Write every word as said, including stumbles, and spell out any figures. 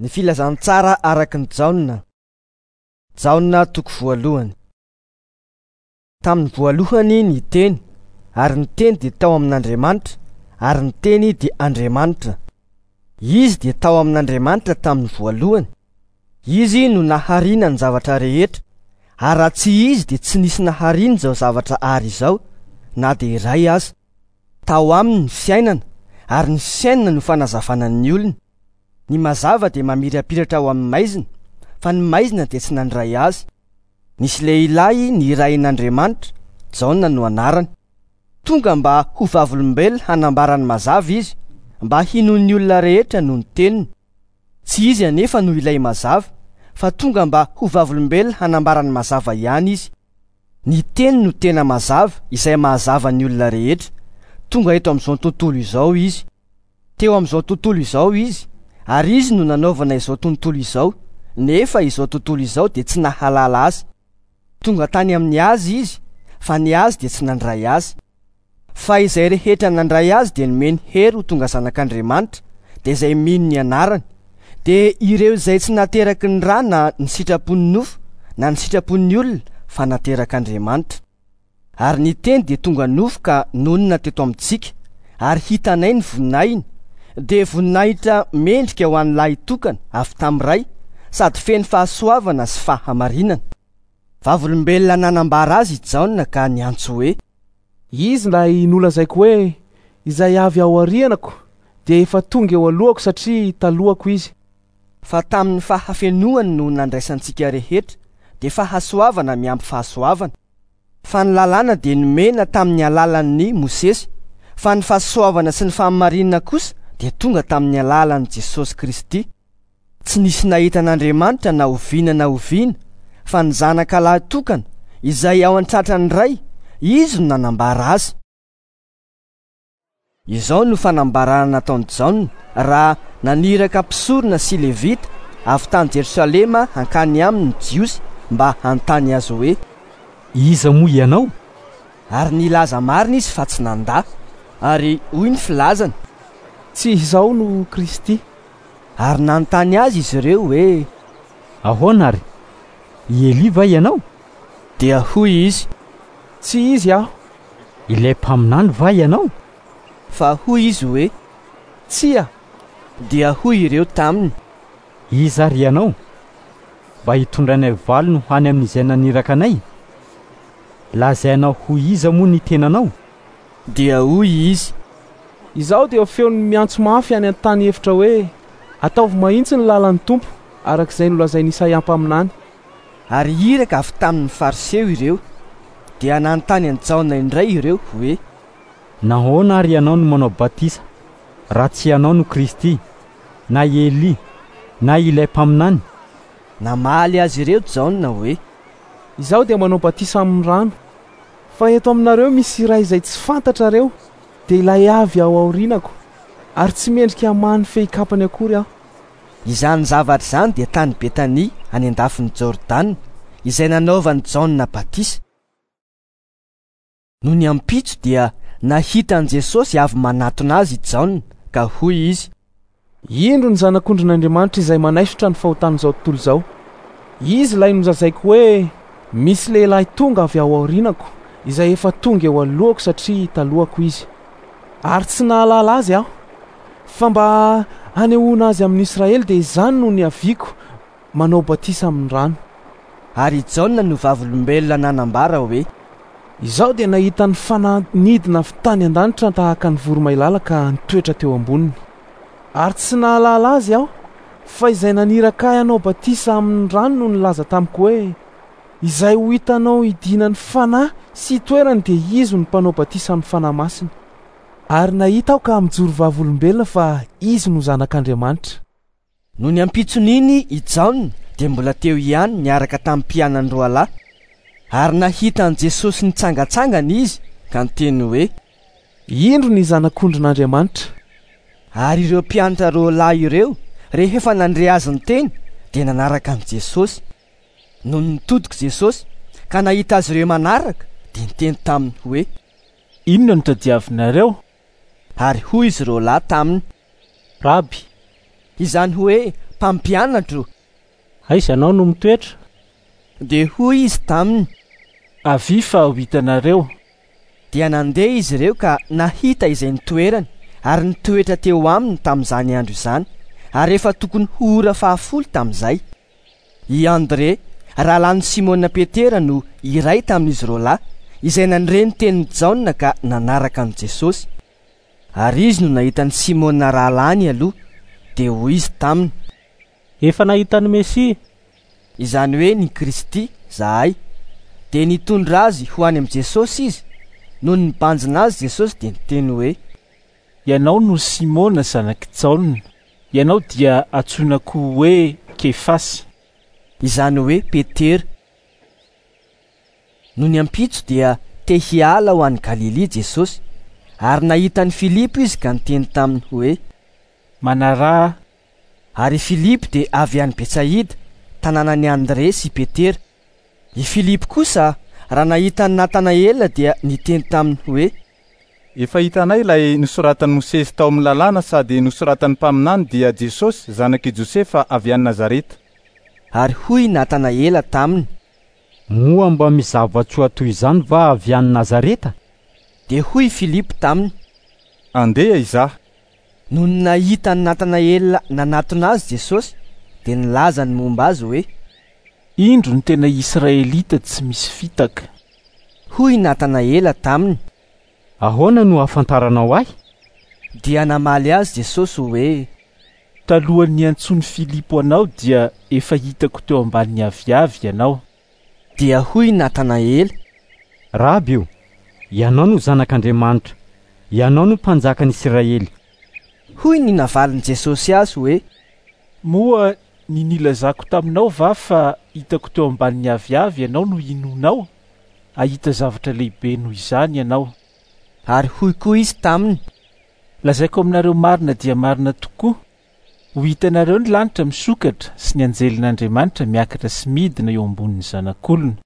Ny filazantsara araka ny Jaona. Jaona toko voalohany. Tamin'ny voalohany ny teny, ary ny teny dia tao amin'Andriamanitra, ary ny teny dia Andriamanitra. Izy dia tao amin'Andriamanitra tamin'ny voalohany. Izy no nahariana ny zavatra rehetra, ary raha tsy izy dia tsy nisy nahariana izao zavatra ary izao, na dia iray aza. Tao aminy ny fiainana, ary ny fiainana no fanazavana ny olona. Ny mazava dia mamirapiratra ao amin'ny maizina, fa ny maizina dia tsy nandray azy. Nisy lehilahy nirahin'Andriamanitra, Jaona no anarany. Tonga mba ho vavolombelona hanambara ny mazava izy, mba hinoan'ny olona rehetra noho ny teniny. Tsy izy anefa no ilay mazava, fa tonga mba ho vavolombelona hanambara ny mazava ihany izy. Ny teny no tena mazava izay mahazava ny olona rehetra. Tonga eto amin'izao tontolo izao izy. Teo amin'izao tontolo izao izy, ary izy no nanaovana izao tontolo izao, nefa izao tontolo izao dia tsy nahalala azy. Tonga tany amin'ny azy izy, fa ny azy dia tsy nandray azy. Fa izay rehetra nandray azy dia nomeny hery ho tonga zanak'Andriamanitra, dia izay mino ny anarany. Dia ireo izay tsy nateraky ny rà na ny sitrapon'ny nofo na ny sitrapon'ny olona, fa naterak'Andriamanitra. Ary ny teny dia tonga nofo ka nonina teto amintsika, ary hitanay ny voninahiny, dia voninahitra mendrika ho an'ny lahy tokana avy tamin'ny Ray, sady feno fahasoavana sy fahamarinana. Vavolombelona nanambara azy i Jaona ka niantso hoe: Izy ilay nolazaiko hoe izay avy ao aorianako dia efa tonga eo alohako satria talohako izy. Fa tamin'ny fahafenoany no nandraisantsika rehetra, dia fahasoavana miampy fahasoavana. Fa ny lalàna dia nomena tamin'ny alalan'ny Mosesy, fa ny fahasoavana sy ny fahamarinana kosa dia tonga tamin'ny alalan'i Jesosy Kristy. Tsy nisy nahita an'Andriamanitra na oviana na oviana, fa ny zanaka lahy tokana izay ao an-tratran'ny Ray, izy no nanambara azy. Izao no fanambarana nataon'i Jaona raha naniraka mpisorona sy levita avy tany Jerosalema hankany aminy ny Jiosy mba hanontany azy hoe: Iza moa ianao? Ary nilaza marina izy fa tsy nandà. Ary hoy ny filazany: Tsy izaho no Kristy. Ary nanontany azy izy ireo hoe: Ahoana ary? I Elia va ianao? Dia hoy izy: Tsy izy aho. Ilay mpaminany va ianao? Fa hoy izy hoe: Tsia. Dia hoy ireo taminy: Iza ary ianao? Mba hitondranay valiny ho any amin'izay naniraka anay? Lazainao ho iza moa ny tenanao? Dia hoy izy: Izaho dia feon'ny miantso mafy any an-tany efitra hoe: Ataovy mahitsy ny lalan'ny Tompo, araka izay nolazain'i Isaia mpaminany. Ary iraka avy tamin'ny Fariseo ireo. Dia nanontany an'i Jaona indray ireo hoe: Nahoana ary ianao no manao batisa raha tsy ianao no Kristy, na Elia, na ilay mpaminany? Namaly azy ireo Jaona hoe: Izaho dia manao batisa amin'ny rano, fa eto aminareo misy iray izay tsy fantatrareo, dia ilay avy ao aorianako, ary tsy mendrika hamaha ny fehikapany akory aho. Izany zavatra izany dia tany Betania any an-dafin'i Jordana, izay nanaovan'i Jaona batisa. Nony ampitso dia nahita an'i Jesosy avy manatona azy i Jaona, ka hoy izy: Indro ny zanak'ondrin'Andriamanitra izay manaisotra ny fahotan'izao tontolo izao. Izy ilay nolazaiko hoe misy lehilahy tonga avy ao aorianako, izay efa tonga eo alohako satria talohako izy. Ary tsy nahalala azy aho, fa mba hanehoana azy amin'ny Israely dia izany no niaviako manao batisa amin'ny rano. Ary i Jaona no vavolombelona nanambara hoe: Izaho dia nahita ny fanahy nidina avy tany an-danitra tahaka ny voromailala ka nitoetra teo amboniny. Ary tsy nahalala azy aho, fa izay naniraka ahy hanao batisa amin'ny rano no nilaza tamiko hoe: Izay ho hitanao hidinan'ny fanahy sy hitoerany dia izy no mpanao batisa amin'ny fanahy masina. Ary nahita aho ka mijoro vavolombelona fa izy no zanak'Andriamanitra. Nony ampitson'iny i Jaona dia mbola teo ihany niaraka tamin'ny mpianany roa lahy. Ary nahita an'i Jesosy nitsangantsangana izy ka niteny hoe: Indro ny zanak'ondrin'Andriamanitra. Ary ireo mpianatra roa lahy ireo, rehefa nandre azy niteny, dia nanaraka an'i Jesosy. Nony nitodika Jesosy ka nahita azy ireo manaraka, dia niteny taminy hoe: Inona no tadiavinareo? Ary hoy izy roa lahy taminy: Raby, izany hoe Mpampianatro, aiza ianao no mitoetra? Dia hoy izy taminy: Avia fa ho hitanareo. Dia nandeha izy ireo ka nahita izay nitoerany, ary nitoetra teo aminy tamin'izany andro izany, ary efa tokony ho ora fahafolo tamin'izay. I André, rahalahin'i Simona Petera, no iray tamin'izy roa lahy, izay nandre ny tenin'i Jaona ka nanaraka an'i Jesosy. Ary izy no nahita an'i Simona rahalahiny aloha, dia hoy izy taminy: Efa nahita ny Mesia, izany hoe ny Kristy, zahay. Dia nitondra azy ho any amin'i Jesosy izy. Nony nibanjina azy Jesosy dia niteny hoe: Ianao no Simona zanak'i Jaona, ianao dia antsoina koa hoe Kefasy, izany hoe Petera. Nony ampitso dia te hiala ho any Galilia Jesosy, ary nahita an'i Filipo izy ka niteny taminy hoe: Manaraha. Ary Filipo dia avy any Betsaida, tanànan'i André sy Petera. I Filipo kosa, raha nahita an'i Natanaela, dia niteny taminy hoe: Efa hitanay ilay nosoratan'i Mosesy tao amin'ny lalàna sady nosoratan'ny mpaminany, dia Jesosy zanak'i Josefa avy any Nazareta. Ary hoy Natanaela taminy: Moa mba misy zava-tsoa toy izany va avy any Nazareta? Dia hoy Filipo taminy: Andeha izaho. Nony nahita an'i Natanaela nanatona azy Jesosy, dia nilaza ny momba azy hoe: Indro ny tena Israelita tsy misy fitaka. Hoy Natanaela taminy: Ahoana no ahafantaranao ahy? Dia namaly azy Jesosy hoe: Talohan'ny niantsoan'i Filipo anao dia efa hitako teo ambanin'ny aviavy ianao. Dia hoy Natanaela: Raby io, ianao no zanak'Andriamanitra, ianao no mpanjakan'i Israely. Hoy ny navalin'i Jesosy azy hoe: Moa ny nilazako taminao va fa hitako teo ambanin'ny aviavy ianao no inoanao? Hahita zavatra lehibe noho izany ianao. Ary hoy koa izy taminy: Lazaiko aminareo marina dia marina tokoa, ho hitanareo ny lanitra misokatra sy ny anjelin'Andriamanitra miakatra sy midina eo ambonin'ny zanak'olona.